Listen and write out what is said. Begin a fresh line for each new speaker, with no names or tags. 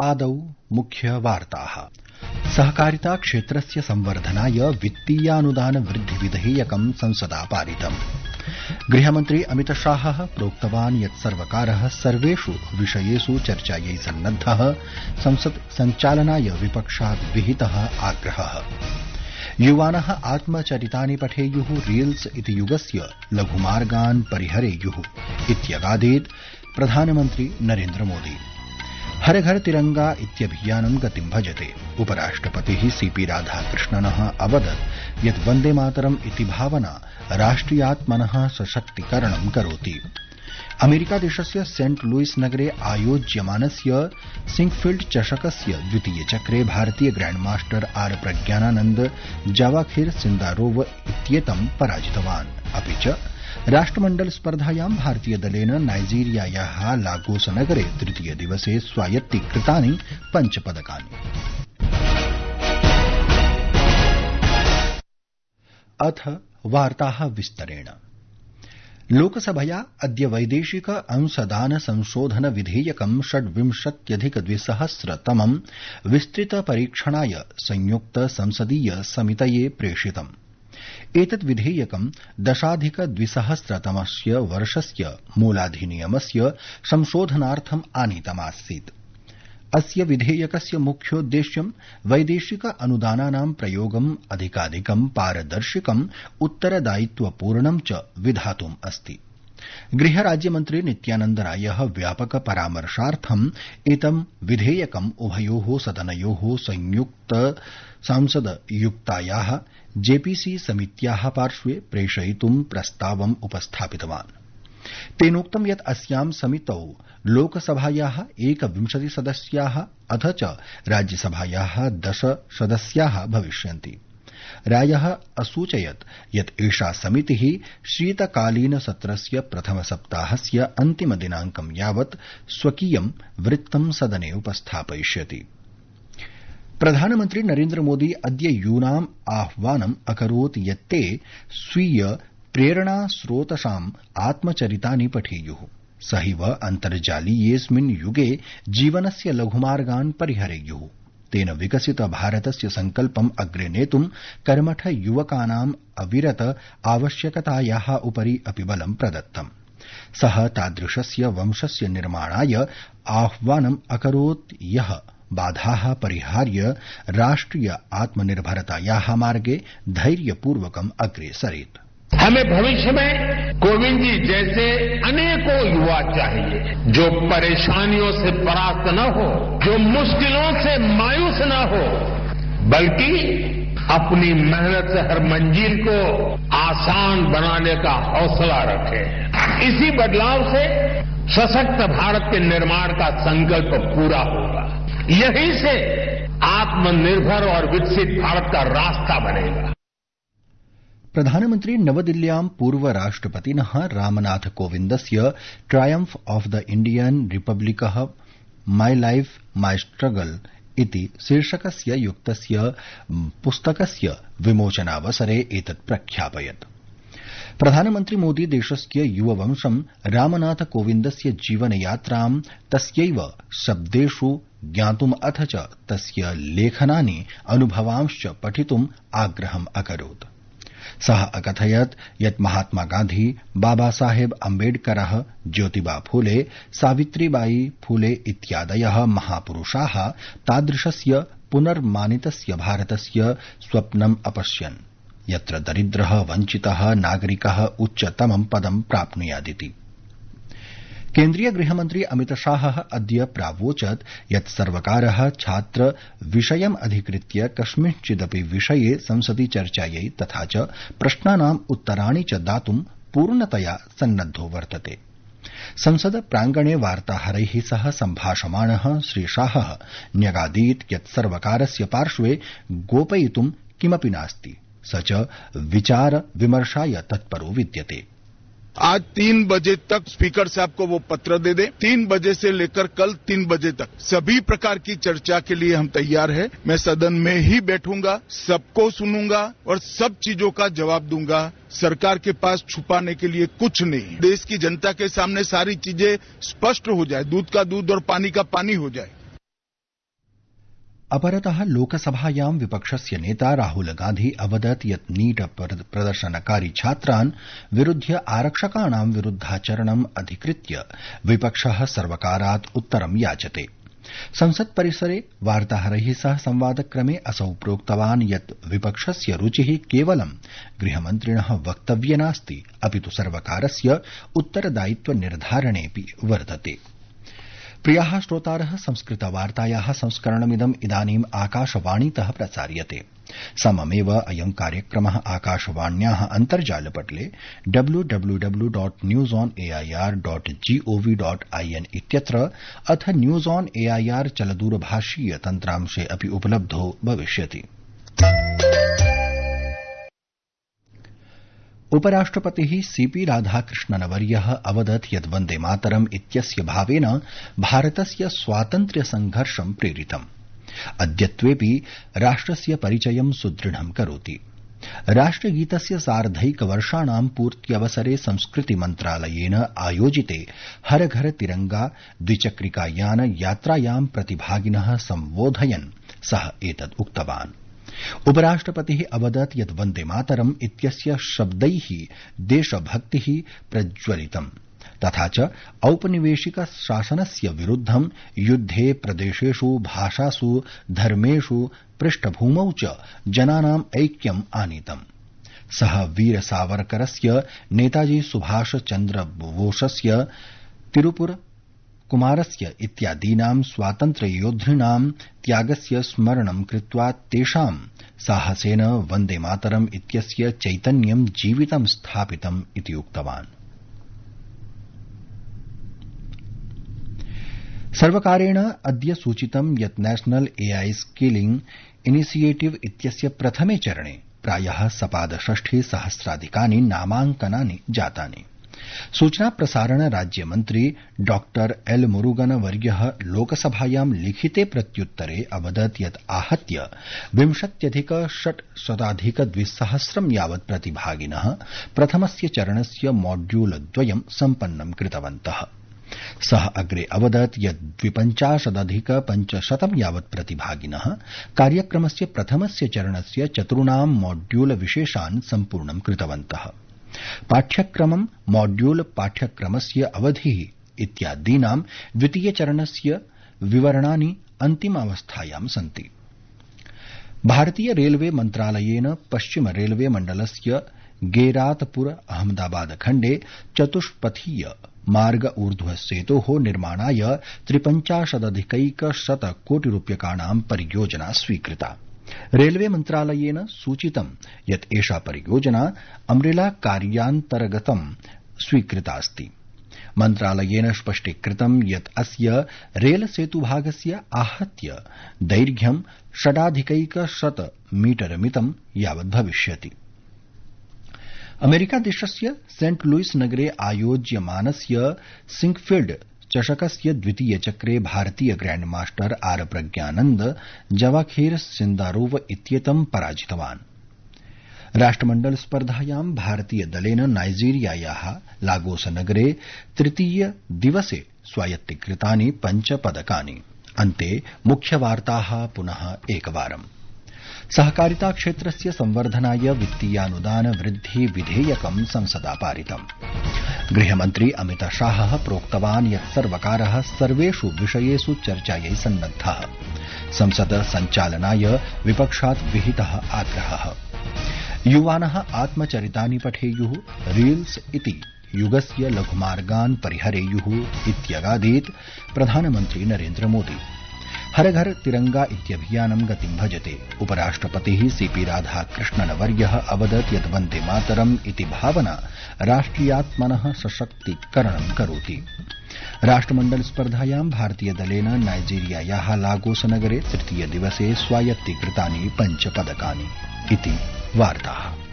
आदौ मुख्यवार्ताः। सहकारिता क्षेत्रस्य संवर्धनाय वित्तीयानुदान वृद्धि विधेयकं संसदा पारितम्। गृहमन्त्री अमितशाहः प्रोक्तवान् यत् सर्वकारः सर्वेषु विषयेषु चर्चायै सन्नद्धः। संसत् सञ्चालनाय विपक्षात् विहितः आग्रहः। युवानः आत्मचरितानि पठेयुः, रील्स इति युगस्य लघुमार्गान् परिहरेयुः इत्यगादीत् प्रधानमन्त्री नरेन्द्र मोदी। हर घर तिरंगा इत्यभियानं गतिं भजते। उपराष्ट्रपतिः सीपी राधाकृष्णनः अवदत् यत् वन्दे मातरम् इति भावना राष्ट्रियात्मनः सशक्तीकरणं करोति। अमेरिकादेशस्य सेंट लुइस नगरे आयोज्यमानस्य सिंकफील्ड चषकस्य द्वितीये चक्रे भारतीय ग्रैंडमास्टर आर प्रज्ञानानन्द जावाखिर सिन्दारोव इत्येतं पराजितवान्। अपि च राष्ट्रमण्डल स्पर्धायां भारतीयदलेन नाइजीरियायाः लागोस नगरे तृतीय दिवसे स्वायत्तीकृतानि 5 पदकानि। अथ वार्ताः विस्तरेण। लोकसभया अद्य वैदेशिक अंशदान संशोधन विधेयकं 26,200 विस्तृत परीक्षणाय संयुक्त संसदीय समितये प्रेषितम्। एतत् विधेयकं 10,200 वर्षस्य मूलाधिनियमस्य संशोधनार्थम् आनीतमासीत्। अस्य विधेयकस्य मुख्योद्देश्यं वैदेशिक अनुदानानां प्रयोगम् अधिकाधिकं पारदर्शिकम् उत्तरदायित्वपूर्णं च विधातुम् अस्ति। गृहराज्यमन्त्री नित्यानन्द रायः व्यापक परामर्शार्थम् एतं विधेयकम् उभयोः सदनयोः संयुक्त सांसदयुक्तायाः जेपीसी समित्याः पार्श्वे प्रेषयितुं प्रस्तावम् उपस्थापितवान्। तेनोक्तं यत् अस्यां समितौ लोकसभायाः 21 सदस्याः अथ च राज्यसभायाः 10 सदस्याः भविष्यन्ति। रायः असूचयत् यत् एषा समितिः शीतकालीन सत्रस्य प्रथमसप्ताहस्य अन्तिमदिनाङ्कं यावत् स्वकीयं वृत्तं सदने उपस्थापयिष्यति। प्रधानमन्त्री नरेन्द्र मोदी अद्य यूनाम् आह्वानम् अकरोत् यत् ते स्वीय प्रेरणास्रोतसाम् आत्मचरितानि पठेयुः। सहैव अन्तर्जालीयेऽस्मिन् युगे जीवनस्य लघुमार्गान् परिहरेयुः। तेन विकसित भारतस्य सङ्कल्पम् अग्रे नेतुं कर्मठ युवकानाम् अविरत आवश्यकतायाः उपरि अपि बलं प्रदत्तम्। सः तादृशस्य वंशस्य निर्माणाय आह्वानम् अकरोत् यः बाधाः परिहार्य राष्ट्रिय आत्मनिर्भरतायाः मार्गे धैर्यपूर्वकम् अग्रे सरेत्।
हमें भविष्य में कोविंद जी जैसे अनेकों युवा चाहिए जो परेशानियों से परास्त न हो, जो मुश्किलों से मायूस न हो, बल्कि अपनी मेहनत से हर मंजिल को आसान बनाने का हौसला रखे। इसी बदलाव से सशक्त भारत के निर्माण का संकल्प पूरा होगा। यहीं से आत्मनिर्भर और विकसित भारत का रास्ता बनेगा।
प्रधानमन्त्री नवदिल्ल्यां पूर्वराष्ट्रपतिनः रामनाथ कोविन्दस्य ट्रायम्फ ऑफ द इंडियन रिपब्लिकः माई लाइफ माई स्ट्रगल इति शीर्षकस्य युक्तस्य पुस्तकस्य विमोचनावसरे एतत् प्रख्यापयत्। प्रधानमन्त्री मोदी देशस्य युववंशं रामनाथ कोविन्दस्य जीवनयात्रां तस्यैव शब्देषु ज्ञातुम् अथ च तस्य लेखनानि अनुभवांश्च पठितुम् आग्रहम् अकरोत्। सः अकथयत् यत् महात्मा गान्धी, बाबा साहेब अम्बेडकरः, ज्योतिबा फूले, सावित्रीबाई फूले इत्यादयः महापुरुषाः तादृशस्य पुनर्मानितस्य भारतस्य स्वप्नम् अपश्यन् यत्र दरिद्रः वञ्चितः नागरिकः उच्चतमं पदं प्राप्नुयादिति। केन्द्रीय गृहमन्त्री अमितशाहः अद्य प्रावोचत् यत् सर्वकारः छात्र विषयम् अधिकृत्य कस्मिंश्चिदपि विषये संसदि चर्चायै तथा च प्रश्नानाम् उत्तराणि च दातुं पूर्णतया सन्नद्धो वर्तते। संसद प्रांगणे वार्ताहरैः सह सम्भाषमाणः श्रीशाहः न्यगादीत् यत् सर्वकारस्य पार्श्वे गोपयितुं किमपि नास्ति, स च विचार विमर्शाय तत्परो विद्यते।
आज 3 बजे तक स्पीकर साहब को वो पत्र दे दें। 3 बजे से लेकर कल 3 बजे तक सभी प्रकार की चर्चा के लिए हम तैयार हैं। मैं सदन में ही बैठूंगा, सबको सुनूंगा और सब चीजों का जवाब दूंगा। सरकार के पास छुपाने के लिए कुछ नहीं। देश की जनता के सामने सारी चीजें स्पष्ट हो जाए, दूध का दूध और पानी का पानी हो जाए।
अपरतः लोकसभायां विपक्षस्य नेता राहुल गांधी अवदत् यत् नीट प्रदर्शनकारी छात्रान् विरुध्य आरक्षकाणां विरुद्धाचरणम् अधिकृत्य विपक्षः सर्वकारात् उत्तरं याचते। संसत् परिसरे वार्ताहरैः सह संवादक्रमे असौ प्रोक्तवान् यत् विपक्षस्य रुचिः केवलं गृहमन्त्रिणः वक्तव्ये नास्ति, अपितु सर्वकारस्य उत्तरदायित्व निर्धारणेऽपि वर्तते। प्रियाः श्रोतारः, संस्कृतवार्तायाः संस्करणमिदम् इदानीम् आकाशवाणीतः प्रसार्यते। सममेव अयं कार्यक्रमः आकाशवाण्याः अन्तर्जालपटले www.newsonair.gov.in इत्यत्र अथ न्यूज ऑन एआईआर चलदूरभाषीय तन्त्रांशे अपि उपलब्धो भविष्यति। उपराष्ट्रपतिः सीपी राधाकृष्णनवर्यः अवदत् यत् वन्दे मातरम् इत्यस्य भावेन भारतस्य स्वातन्त्र्य संघर्षं प्रेरितम्। अद्यत्वेऽपि राष्ट्रस्य परिचयं सुदृढं करोति। राष्ट्रगीतस्य सार्धैकवर्षाणां पूर्त्यवसरे संस्कृति मन्त्रालयेन आयोजिते हर घर तिरंगा द्विचक्रिकायान यात्रायां प्रतिभागिनः सम्बोधयन् सः एतत् उक्तवान्। उपराष्ट्रपतिः अवदत् यत् वन्दे मातरम् इत्यस्य शब्दैः देशभक्तिः प्रज्वलितम्, तथा च औपनिवेशिक शासनस्य विरुद्धं युद्धे प्रदेशेषु भाषासु धर्मेषु पृष्ठभूमौ च जनानाम् ऐक्यम् आनीतम्। सः वीर सावरकरस्य, नेताजी सुभाष चन्द्र बोसस्य, तिरुपुर कुमारस्य इत्यादीनां स्वातन्त्र्ययोद्धिनां त्यागस्य स्मरणं कृत्वा तेषां साहसेन वन्दे मातरम् इत्यस्य चैतन्यं जीवितं स्थापितम् इति उक्तवान्। सर्वकारेण अद्य सूचितं यत् नेशनल एआई स्किलिंग इनिशिएटिव इत्यस्य प्रथमे चरणे प्रायः सपादषष्ठि सहस्राधिकानि नामाङ्कनानि जातानि। सूचना प्रसारण राज्यमन्त्री डॉक्टर एल मुरुगन वर्यः लोकसभायां लिखिते प्रत्युत्तरे अवदत् यत् आहत्य 20,600 यावत् प्रतिभागिनः प्रथमस्य चरणस्य मॉड्यूल द्वयं सम्पन्नं कृतवन्तः। सः अग्रे अवदत् यत् 52,500 यावत् प्रतिभागिनः कार्यक्रमस्य प्रथमस्य चरणस्य चतुर्णां मॉड्यूल विशेषान् सम्पूर्णं कृतवन्तः। पाठ्यक्रमं, मॉड्यूल पाठ्यक्रमस्य अवधिः इत्यादीनां द्वितीयचरणस्य विवरणानि अन्तिमावस्थायां सन्ति। भारतीय रेलवे मन्त्रालयेन पश्चिम रेलवे मण्डलस्य गेरातपुर अहमदाबाद खण्डे चतुष्पथीय मार्ग ऊर्ध्व सेतोः निर्माणाय 53,100 कोटिरूप्यकाणां परियोजना स्वीकृता। रेलवे मन्त्रालयेन सूचितं यत् एषा परियोजना अम्ब्रेला कार्यान्तर्गतं स्वीकृतास्ति। मन्त्रालयेन स्पष्टीकृतं यत् अस्य रेल सेतुभागस्य आहत्य दैर्घ्यं 6,100 मीटरमितं यावत् भविष्यति। अमेरिकादेशस्य सेंट लुइस नगरे आयोज्यमानस्य सिंकफील्ड चषकस्य द्वितीय चक्रे भारतीय ग्रैंड मास्टर आर प्रज्ञानन्द जवाखेर सिन्दारोव इत्येतं पराजितवान्। राष्ट्रमण्डल स्पर्धायां भारतीय दलेन नाइजीरियायाः लागोस नगरे तृतीय दिवसे स्वायत्तीकृतानि 5 पदकानि। अन्ते मुख्यवार्ताः पुनः एकवारम्। सहकारिता क्षेत्रस्य संवर्धनाय वित्तीयानुदान वृद्धि विधेयकं संसदा पारितम्। गृहमन्त्री अमित शाहः प्रोक्तवान् यत् सर्वकारः सर्वेषु विषयेषु चर्चायै सन्नद्धः। संसद सञ्चालनाय विपक्षात् विहितः आग्रहः। युवानः आत्मचरितानि पठेयुः, रील्स इति युगस्य लघुमार्गान् परिहरेयुः इत्यगादीत् प्रधानमन्त्री नरेन्द्र मोदी। हर घर तिरंगा इत्यभियानं गतिं भजते। उपराष्ट्रपतिः सीपी राधाकृष्णनवर्यः अवदत् यत् वन्दे मातरम् इति भावना राष्ट्रियात्मनः सशक्तीकरणं करोति। राष्ट्रमण्डल स्पर्धायां भारतीय दलेन नाइजीरियायाः लागोस नगरे तृतीय दिवसे स्वायत्तीकृतानि 5 पदकानि। इति वार्ताः।